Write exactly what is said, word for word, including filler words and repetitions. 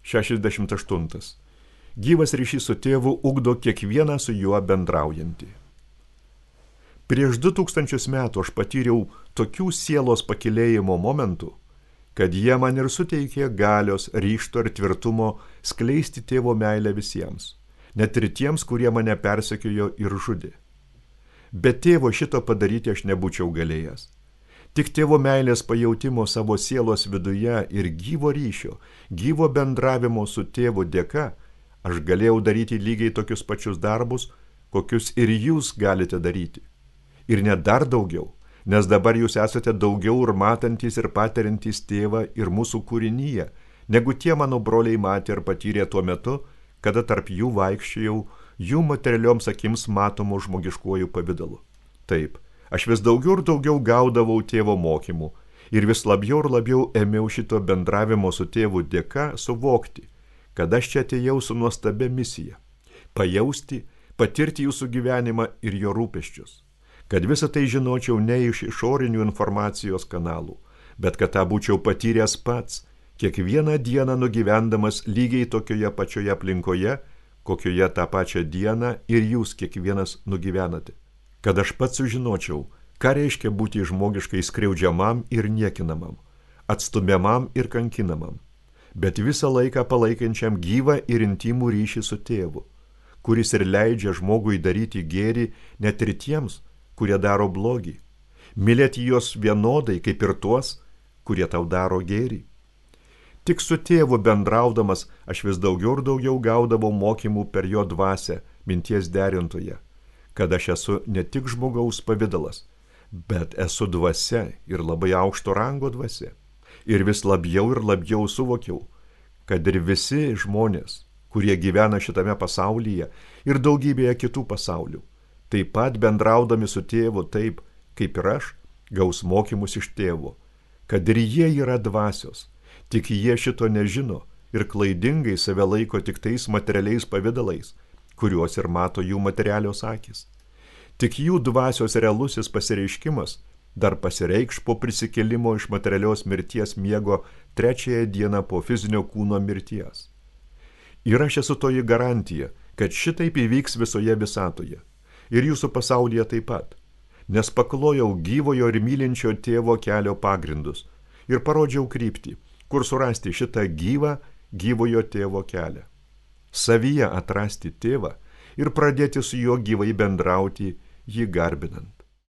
šešiasdešimt aštuntas. Gyvas ryšys su tėvu ugdo kiekvieną su juo bendraujantį. Prieš du tūkstančius metų aš patyriau tokių sielos pakilėjimo momentų, kad jie man ir suteikė galios, ryžto ir tvirtumo skleisti tėvo meilę visiems, net ir tiems, kurie mane persekiojo ir žudė. Be tėvo šito padaryti aš nebūčiau galėjęs. Tik tėvo meilės pajautimo savo sielos viduje ir gyvo ryšio, gyvo bendravimo su tėvu dėka, aš galėjau daryti lygiai tokius pačius darbus, kokius ir jūs galite daryti. Ir net dar daugiau, nes dabar jūs esate daugiau ir matantys ir patiriantys tėvą ir mūsų kūrinyje, negu tie mano broliai matė ir patyrė tuo metu, kada tarp jų vaikščiojau jų materialioms akims matomų žmogiškuoju pavidalu. Taip, aš vis daugiau ir daugiau gaudavau tėvo mokymų ir vis labiau ir labiau ėmiau šito bendravimo su tėvu dėka suvokti, kad aš čia atėjau su nuostabia misija – pajausti, patirti jūsų gyvenimą ir jo rūpesčius, kad visą tai žinočiau ne iš išorinių informacijos kanalų, bet kad tą būčiau patyręs pats, kiekvieną dieną nugyvendamas lygiai tokioje pačioje aplinkoje, kokioje tą pačią dieną ir jūs kiekvienas nugyvenate. Kad aš pats sužinočiau, ką reiškia būti žmogiškai skriaudžiamam ir niekinamam, atstumiamam ir kankinamam, bet visą laiką palaikančiam gyvą ir intimų ryšį su tėvu, kuris ir leidžia žmogui daryti gėrį net ir tiems, kurie daro blogį, mylėti juos vienodai kaip ir tuos, kurie tau daro gėrį. Tik su tėvu bendraudamas aš vis daugiau ir daugiau gaudavau mokymų per jo dvasią, minties derintoje, kad aš esu ne tik žmogaus pavidalas, bet esu dvasia ir labai aukšto rango dvasia. Ir vis labiau ir labiau suvokiau, kad ir visi žmonės, kurie gyvena šitame pasaulyje ir daugybėje kitų pasaulių, taip pat bendraudami su tėvu taip, kaip ir aš, gaus mokymus iš tėvo, kad ir jie yra dvasios, tik jie šito nežino ir klaidingai save laiko tik tais materialiais pavidalais, kuriuos ir mato jų materialios akys. Tik jų dvasios realusis pasireiškimas dar pasireikš po prisikėlimo iš materialios mirties miego trečiąją dieną po fizinio kūno mirties. Ir aš esu toji garantija, kad šitaip įvyks visoje visatoje. Ir jūsų pasaulyje taip pat, nes paklojau gyvojo ir mylinčio tėvo kelio pagrindus ir parodžiau kryptį, kur surasti šitą gyvą, gyvojo tėvo kelią. Savyje atrasti tėvą ir pradėti su juo gyvai bendrauti, jį garbinant.